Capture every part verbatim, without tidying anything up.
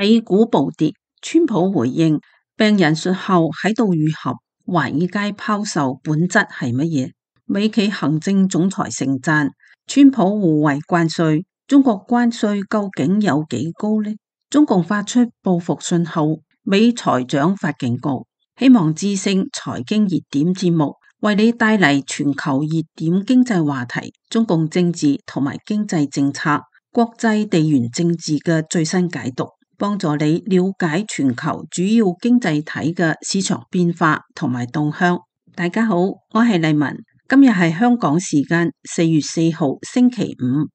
美股暴跌，川普回應病人術後喺度愈合，華爾街拋售本質係乜嘢？美企行政總裁盛讚川普護衛關稅，中國關稅究竟有幾高呢？中共發出報復信號，美財長發警告。希望之聲財經熱點節目為你帶嚟全球熱點經濟話題、中共政治同埋經濟政策、國際地緣政治嘅最新解讀，幫助你了解全球主要經濟體嘅市場變化同埋動向。大家好，我係麗文，今日係香港時間四月四號星期五。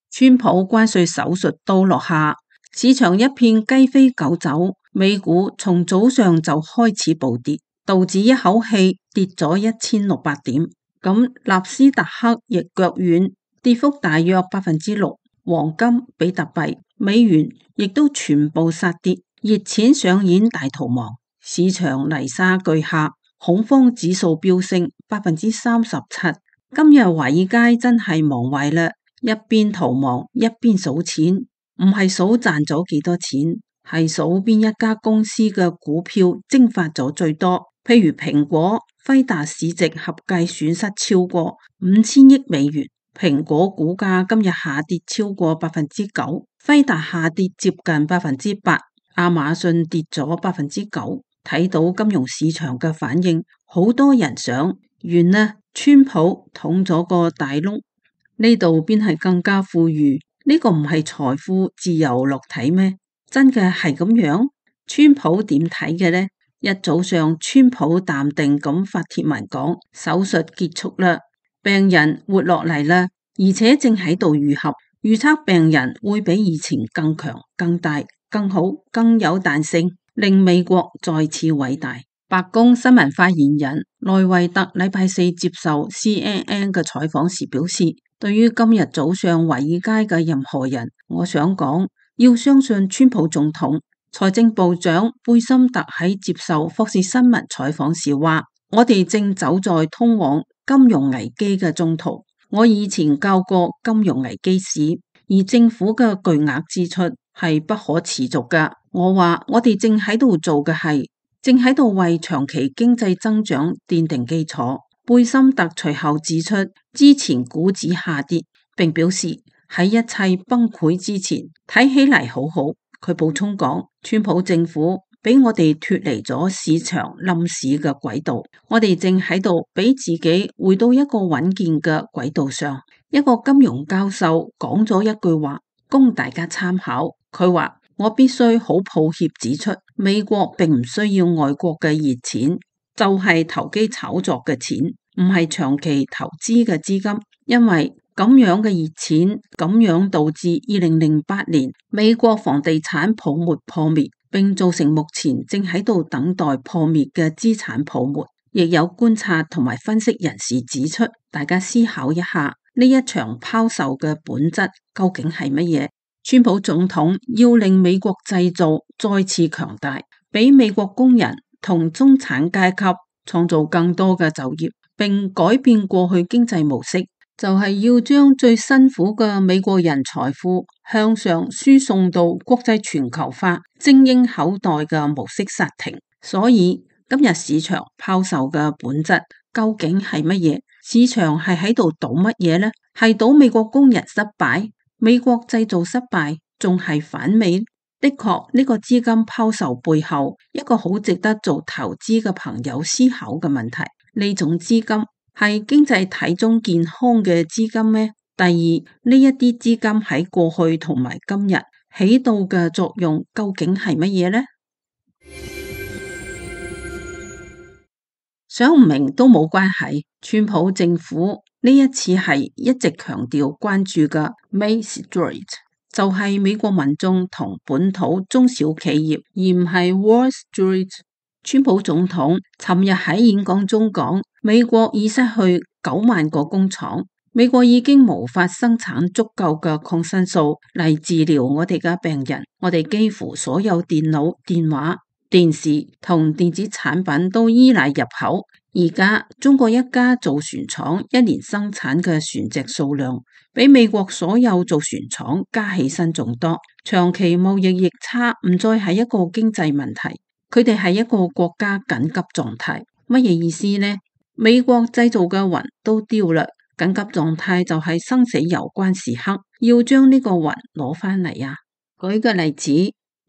川普關稅手術刀落下，市場一片雞飛狗走，美股從早上就開始暴跌，道指一口氣跌咗一千六百點，咁納斯達克亦腳軟，跌幅大約百分之六，黃金、比特幣、美元亦都全部殺跌，熱錢上演大逃亡，市場泥沙俱下，恐慌指數飆升百分之三十七。今日華爾街真係忙壞啦，一邊逃亡一邊數錢，唔係數賺咗幾多錢，係數邊一家公司嘅股票蒸發咗最多。譬如蘋果、輝達市值合計損失超過五千億美元，蘋果股價今日下跌超過百分之九，輝達下跌接近百分之八，亞馬遜跌咗百分之九。睇到金融市場嘅反應，好多人想完啦，川普捅咗個大窿，呢度邊係更加富裕？呢個唔係財富自由落體咩？真嘅係咁樣？川普點睇嘅呢？一早上川普淡定咁發帖文講，手術結束啦，病人活落嚟啦，而且正喺度愈合，預測病人會比以前更強、更大、更好、更有彈性，令美國再次偉大。白宮新聞發言人萊維特禮拜四接受 C N N 嘅採訪時表示，對於今日早上華爾街嘅任何人，我想講，要相信川普總統。財政部長貝森特喺接受福士新聞採訪時話，我哋正走在通往金融危機嘅中途。我以前教過金融危機史，而政府嘅巨額支出係不可持續㗎。我話我哋正喺度做嘅係正喺度為長期經濟增長奠定基礎。貝森特隨後指出，之前股指下跌，並表示喺一切崩潰之前，睇起嚟好好。佢補充講，川普政府俾我哋脫離咗市場冧市嘅軌道，我哋正喺度俾自己回到一個穩健嘅軌道上。一個金融教授講咗一句話，供大家參考。佢話，我必須好抱歉指出，美國並唔需要外國嘅熱錢，就係投機炒作嘅錢，唔係長期投資嘅資金，因為咁樣嘅熱錢，咁樣導致二零零八年美國房地產泡沫破滅，並造成目前正喺度等待破滅嘅資產泡沫。亦有觀察同埋分析人士指出，大家思考一下，呢一場拋售嘅本質究竟係乜嘢？川普總統要令美國製造再次強大，俾美國工人同中產階級創造更多嘅就業，並改變過去經濟模式，就係要將最辛苦嘅美國人財富向上輸送到國際全球化精英口袋嘅模式剎停。所以今日市場拋售嘅本質究竟係乜嘢？市場係喺度賭乜嘢呢？係賭美國工人失敗，美國製造失敗，仲係反美？的確，呢個資金拋售背後一個好值得做投資嘅朋友思考嘅問題，呢種資金係經濟體中健康嘅資金咩？第二，呢一啲資金喺過去同埋今日起到嘅作用究竟係乜嘢呢？想唔明都冇關係，川普政府呢一次係一直強調關注嘅 Main Street， 就係美國民眾同本土中小企業，而唔係 Wall Street。川普總統尋日喺演講中講，美國已失去九萬個工廠，美國已經無法生產足夠嘅抗生素嚟治療我哋嘅病人，我哋幾乎所有電腦、電話電視同電子產品都依賴入口。而家中國一家造船廠一年生產嘅船隻數量，比美國所有造船廠加起身仲多。長期貿易逆差唔再係一個經濟問題，佢哋係一個國家緊急狀態。乜嘢意思呢？美國製造嘅雲都丟啦，緊急狀態就係生死攸關時刻，要將呢個雲攞翻嚟啊！舉個例子，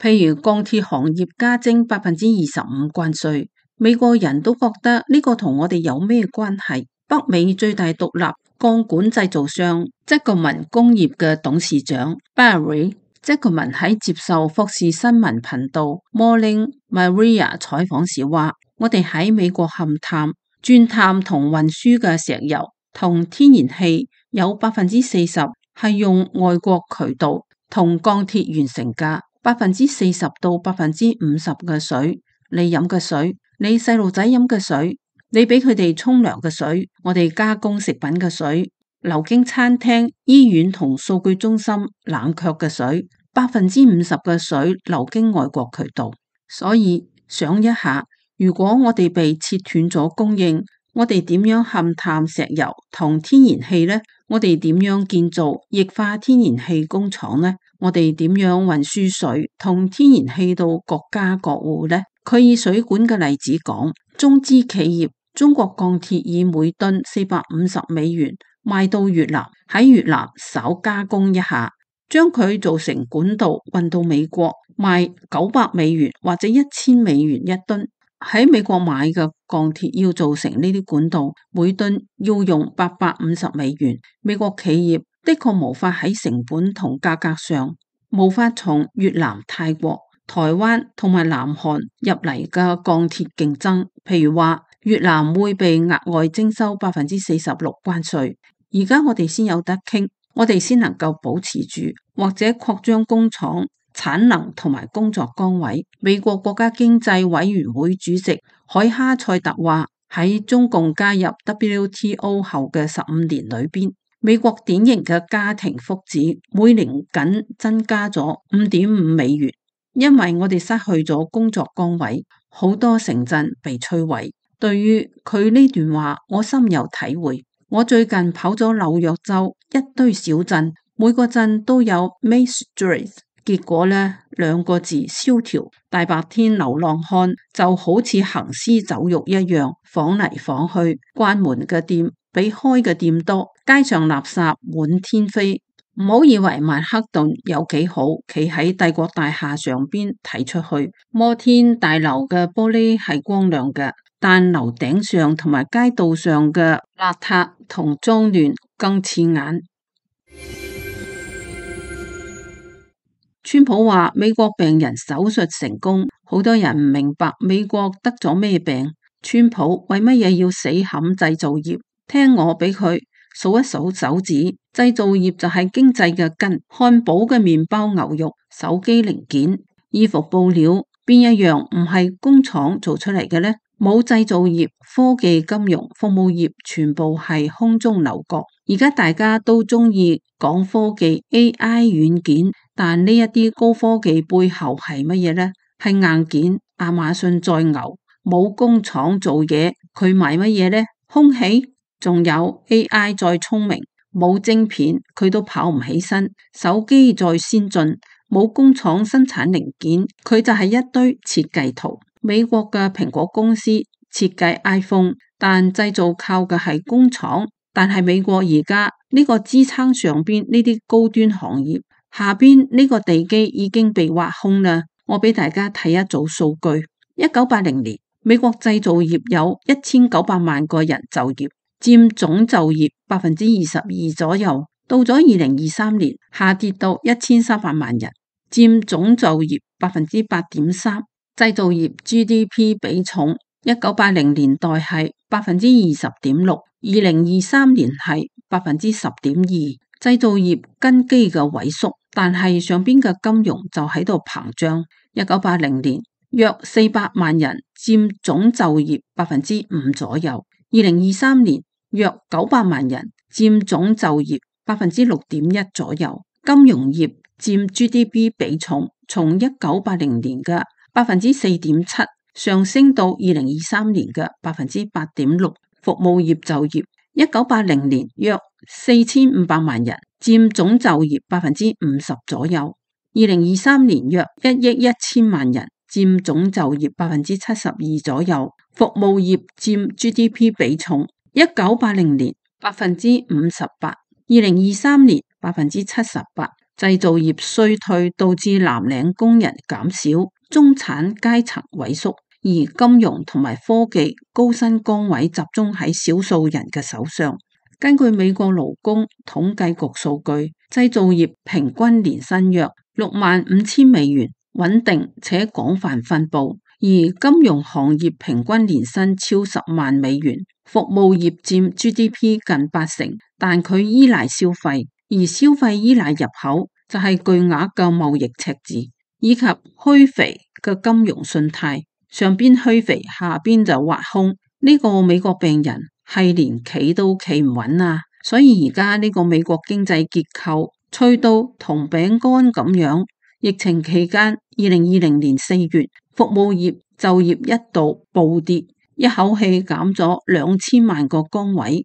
譬如鋼鐵行業加徵百分之二十五關稅，美國人都覺得呢個同我哋有咩關係？北美最大獨立鋼管製造商積格文工業嘅董事長 Barry 積格文喺接受福士新聞頻道 Morning Maria 採訪時話：我哋喺美國勘探、鑽探同運輸嘅石油同天然氣有百分之四十係用外國渠道同鋼鐵完成㗎，百分之四十到百分之五十嘅水，你飲嘅水，你細路仔飲嘅水，你俾佢哋沖涼嘅水，我哋加工食品嘅水，流經餐廳、醫院同數據中心冷卻嘅水，百分之五十嘅水流經外國渠道。所以想一下，如果我哋被切斷咗供應，我哋點樣勘探石油同天然氣呢？我哋點樣建造液化天然氣工廠呢？我哋點樣運輸水同天然氣到各家各戶呢？佢以水管嘅例子講，中資企業中國鋼鐵以每噸四百五十美元賣到越南，喺越南稍加工一下，將佢做成管道運到美國，賣九百美元或者一千美元一噸。喺美國買嘅鋼鐵要做成呢啲管道，每噸要用八百五十美元。美國企業的確無法喺成本同價格上無法從越南、泰國、台灣同埋南韓入嚟嘅鋼鐵競爭。譬如話越南會被額外徵收百分之四十六關稅，而家我哋先有得傾，我哋先能夠保持住或者擴張工廠產能同埋工作崗位。美國國家經濟委員會主席海哈塞特話：喺中共加入 W T O 後嘅十五年裏邊，美國典型嘅家庭福祉每年僅增加咗五點五美元，因為我哋失去咗工作崗位，好多城鎮被摧毀。對於佢呢段話，我深有體會。我最近跑咗紐約州一堆小鎮，每個鎮都有 Main Street。結果呢，兩個字蕭條。大白天流浪漢就好似行屍走肉一樣，晃嚟晃去，關門嘅店比開嘅店多，街上垃圾滿天飛。唔好以為曼克頓有幾好，企喺帝國大廈上邊睇出去，摩天大樓嘅玻璃係光亮嘅，但樓頂上同埋街道上嘅邋遢同髒亂更刺眼。川普話美國病人手術成功，好多人唔明白美國得咗咩病。川普為乜嘢要死冚製造業？聽我俾佢數一數手指，製造業就係經濟嘅根。漢堡嘅麵包、牛肉、手機零件、衣服布料，邊一樣唔係工廠做出嚟嘅呢？冇製造業、科技、金融、服務業，全部係空中樓閣。而家大家都中意講科技 A I 軟件，但呢一啲高科技背後係乜嘢呢？係硬件，亞馬遜再牛，冇工廠做嘢，佢賣乜嘢呢？空氣，仲有 A I 再聰明，冇晶片，佢都跑唔起身。手機再先進，冇工廠生產零件，佢就係一堆設計圖。美國嘅蘋果公司設計 iPhone， 但製造靠嘅係工廠。但係美國而家呢個支撐上邊呢啲高端行業，下邊呢個地基已經被挖空啦。我俾大家睇一組數據：一九八零年，美國製造業有一千九百萬個人就業，佔總就業百分之二十二左右。到咗二零二三年，下跌到一千三百萬人，佔總就業百分之八點三。製造業 G D P 比重，一九八零年代係百分之二十點六，二零二三年係百分之十點二。製造業根基嘅萎縮，但係上邊嘅金融就喺度膨脹。一九八零年約四百萬人，佔總就業百分之五左右。二零二三年約九百萬人，佔總就業百分之六點一左右。金融業佔 G D P 比重從一九八零年嘅百分之四點七，上升到二零二三年嘅百分之八點六。服務業就業，一九八零年約四千五百萬人，佔總就業百分之五十左右。二零二三年約一億一千萬人，佔總就業百分之七十二左右。服務業佔 G D P 比重，一九八零年百分之五十八，二零二三年百分之七十八。製造業衰退導致藍領工人減少，中產階層萎縮。而金融同埋科技高薪崗位集中喺少數人嘅手上。根據美國勞工統計局數據，製造業平均年薪約六萬五千美元，穩定且廣泛分佈。而金融行業平均年薪超十萬美元，服務業佔 G D P 近八成，但佢依賴消費，而消費依賴入口，就係巨額嘅貿易赤字，以及虛肥嘅金融信貸。上邊虛肥，下邊就挖空，呢個美國病人係連企都企唔穩啊！所以而家呢個美國經濟結構脆到同餅乾咁樣。疫情期間，二零二零年四月，服務業就業一度暴跌，一口氣減咗兩千萬個崗位。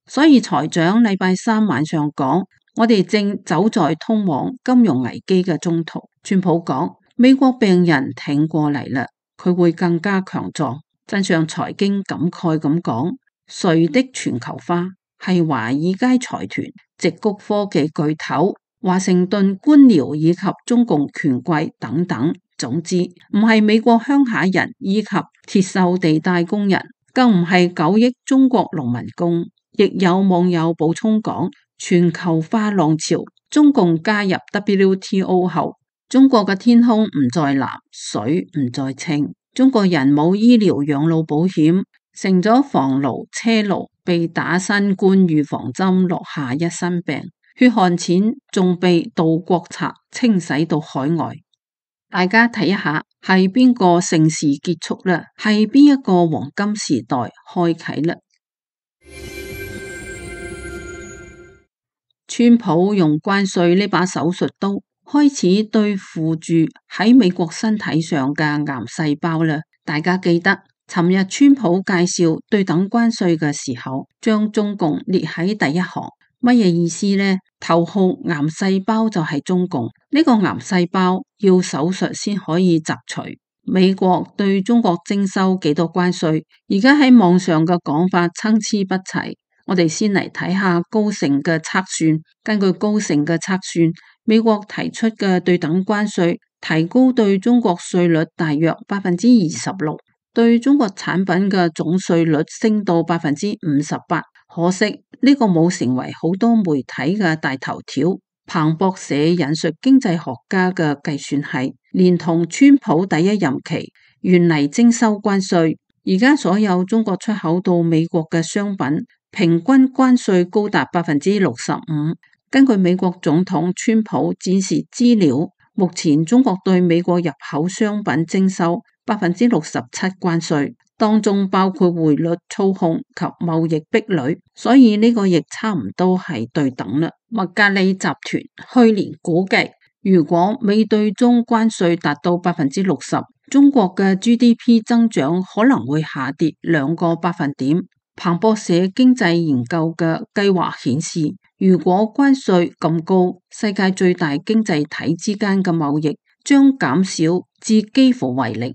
所以財長禮拜三晚上講，我哋正走在通往金融危機嘅中途。川普講，美國病人挺過嚟啦，佢會更加強壯。真相財經感慨咁講，誰的全球化係華爾街財團、矽谷科技巨頭、華盛頓官僚以及中共權貴等等。總之，唔係美國鄉下人以及鐵鏽地帶工人，更唔係九億中國農民工。亦有網友補充講，全球化浪潮，中共加入 W T O 後，中國嘅天空唔再藍，水唔再清，中國人冇醫療養老保險，成咗房奴車奴，被打新冠預防針落下一身病，血汗錢仲被盜國賊清洗到海外。大家睇一下，係邊個盛事結束啦？係邊一個黃金時代開啟啦？川普用關稅呢把手術刀開始對付住喺美國身體上嘅癌細胞啦。大家記得尋日川普介紹對等關稅嘅時候，將中共列喺第一行，乜嘢意思呢？頭號癌細胞就係中共，呢個癌細胞要手術先可以摘除。美國對中國徵收幾多關稅？而家喺網上嘅講法參差不齊。我哋先嚟睇下高盛嘅測算。根據高盛嘅測算，美國提出嘅對等關稅提高對中國稅率大約百分之二十六，對中國產品嘅總稅率升到百分之五十八。可惜呢個冇成為好多媒體嘅大頭條。彭博社引述經濟學家嘅計算係，連同川普第一任期原嚟徵收關稅，而家所有中國出口到美國嘅商品平均關稅高達百分之六十五。根據美國總統川普展示資料，目前中國對美國入口商品徵收百分之六十七關稅，當中包括匯率操控及貿易壁壘，所以呢個亦差唔多係對等啦。麥格里集團去年估計，如果美對中關稅達到百分之六十，中國嘅 G D P 增長可能會下跌兩個百分點。彭博社經濟研究嘅計劃顯示，如果關稅咁高，世界最大經濟體之間嘅貿易將減少至幾乎為零。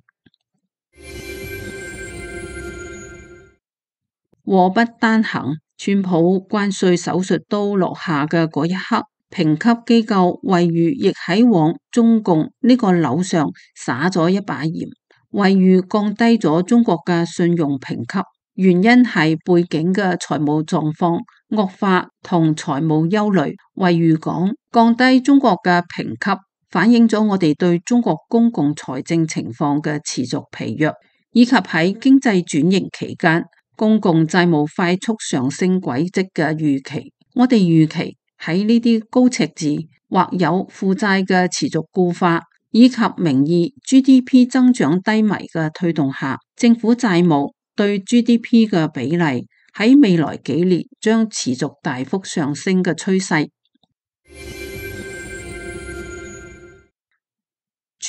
禍不單行，川普關稅手術刀落下嘅嗰一刻，評級機構惠譽亦喺往中共呢個樓上灑咗一把鹽，惠譽降低咗中國嘅信用評級。原因係背景嘅財務狀況惡化同財務憂慮。惠譽講，降低中國嘅評級反映咗我哋對中國公共財政情況嘅持續疲弱，以及喺經濟轉型期間公共債務快速上升軌跡嘅預期。我哋預期喺呢啲高赤字或有負債嘅持續固化，以及名義 G D P 增長低迷嘅推動下，政府債務對 G D P 嘅比例喺未來幾年將持續大幅上升嘅趨勢。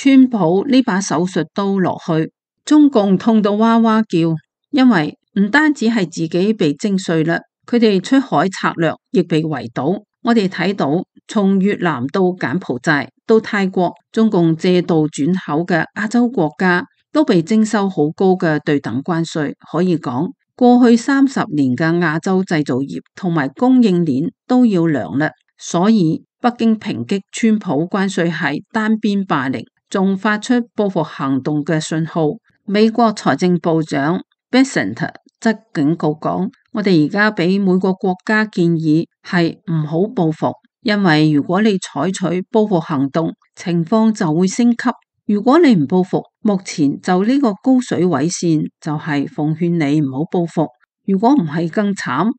川普呢把手術刀落去，中共痛到哇哇叫，因為唔單止係自己被徵稅啦，佢哋出海策略亦被圍堵。我哋睇到從越南到柬埔寨到泰國，中共借道轉口嘅亞洲國家都被徵收好高嘅對等關稅，可以講過去三十年嘅亞洲製造業同埋供應鏈都要涼啦。所以北京抨擊川普關稅係單邊霸凌，仲發出報復行動嘅信號。美國財政部長 Bessent 則警告講，我哋而家俾每個國家建議係唔好報復，因為如果你採取報復行動，情況就會升級。如果你唔報復，目前就呢個高水位線就係奉勸你唔好報復，如果唔係更慘。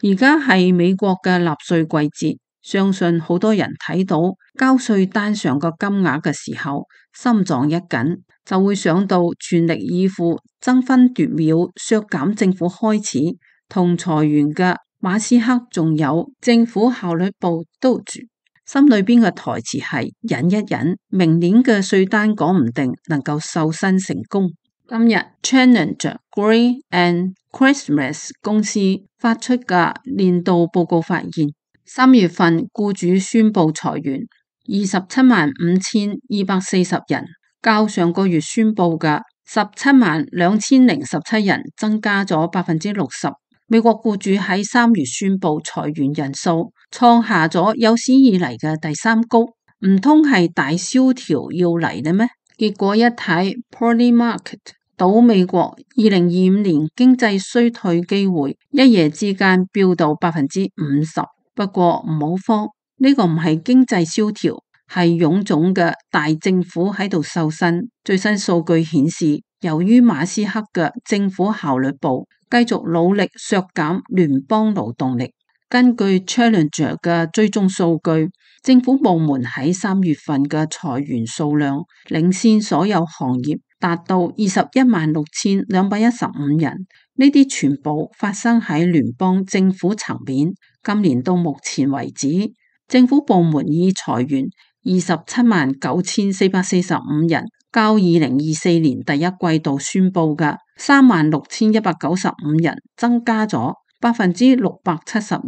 而家係美國嘅納稅季節，相信好多人睇到交稅單上個金額嘅時候，心臟一緊，就會想到全力以赴、爭分奪秒削減政府開支同裁員嘅馬斯克，仲有政府效率部都住，心裏邊嘅台詞係忍一忍，明年嘅稅單講唔定能夠瘦身成功。今日 Challenger Grain and Christmas 公司發出嘅年度報告發現，三月份雇主宣布裁員二十七萬五千二百四十人，較上個月宣布嘅十七萬兩千零十七人增加咗百分之六十。美國雇主喺三月宣布裁員人數創下咗有史以嚟嘅第三高，唔通係大蕭條要嚟咧咩？結果一睇 Polymarket 賭美國二零二五年經濟衰退機會一夜之間飆到百分之五十。不過唔好慌，呢、這個唔係經濟蕭條，係臃腫嘅大政府喺度瘦身。最新數據顯示，由於馬斯克嘅政府效率部繼續努力削減聯邦勞動力，根據 Challenger 嘅追蹤數據，政府部門喺三月份嘅裁員數量領先所有行業，達到二十一萬六千兩百一十五人。呢啲全部發生喺聯邦政府層面。今年到目前為止，政府部門已裁員二十七萬九千四百四十五人，較二零二四年第一季度宣布嘅三萬六千一百九十五人增加咗百分之六百七十二。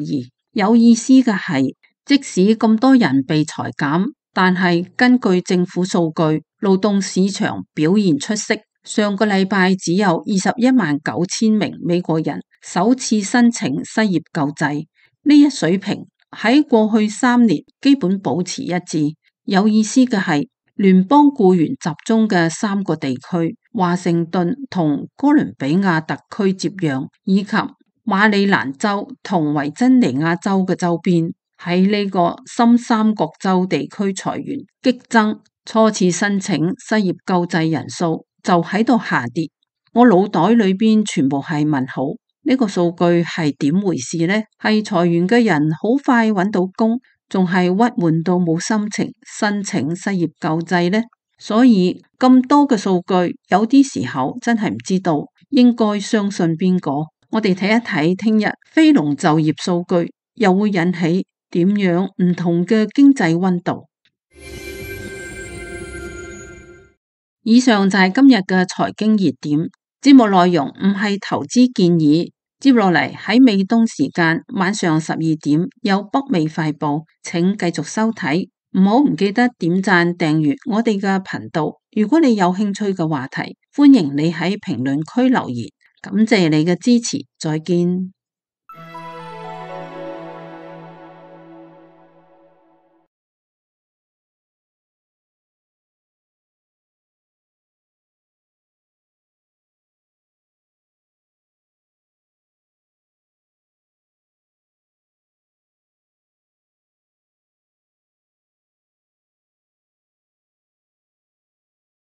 有意思嘅係，即使咁多人被裁減，但係根據政府數據，勞動市場表現出色。上個禮拜只有二十一萬九千名美國人首次申請失業救濟，呢一水平喺過去三年基本保持一致。有意思嘅係，聯邦僱員集中嘅三個地區，華盛頓同哥倫比亞特區接壤，以及馬里蘭州同維珍尼亞州嘅周邊，喺呢個深三角洲地區裁員激增，初次申請失業救濟人數就喺度下跌，我腦袋裏邊全部係問號，呢個數據係點回事呢？係裁員嘅人好快揾到工，仲係鬱悶到冇心情申請失業救濟呢？所以咁多嘅數據，有啲時候真係唔知道應該相信邊個。我哋睇一睇聽日非農就業數據，又會引起點樣唔同嘅經濟溫度。以上就係今日嘅財經熱點，節目內容唔係投資建議。接落嚟喺美東時間晚上十二點有北美快報，請繼續收睇。唔好唔記得點讚訂閱我哋嘅頻道。如果你有興趣嘅話題，歡迎你喺評論區留言。感謝你嘅支持，再見。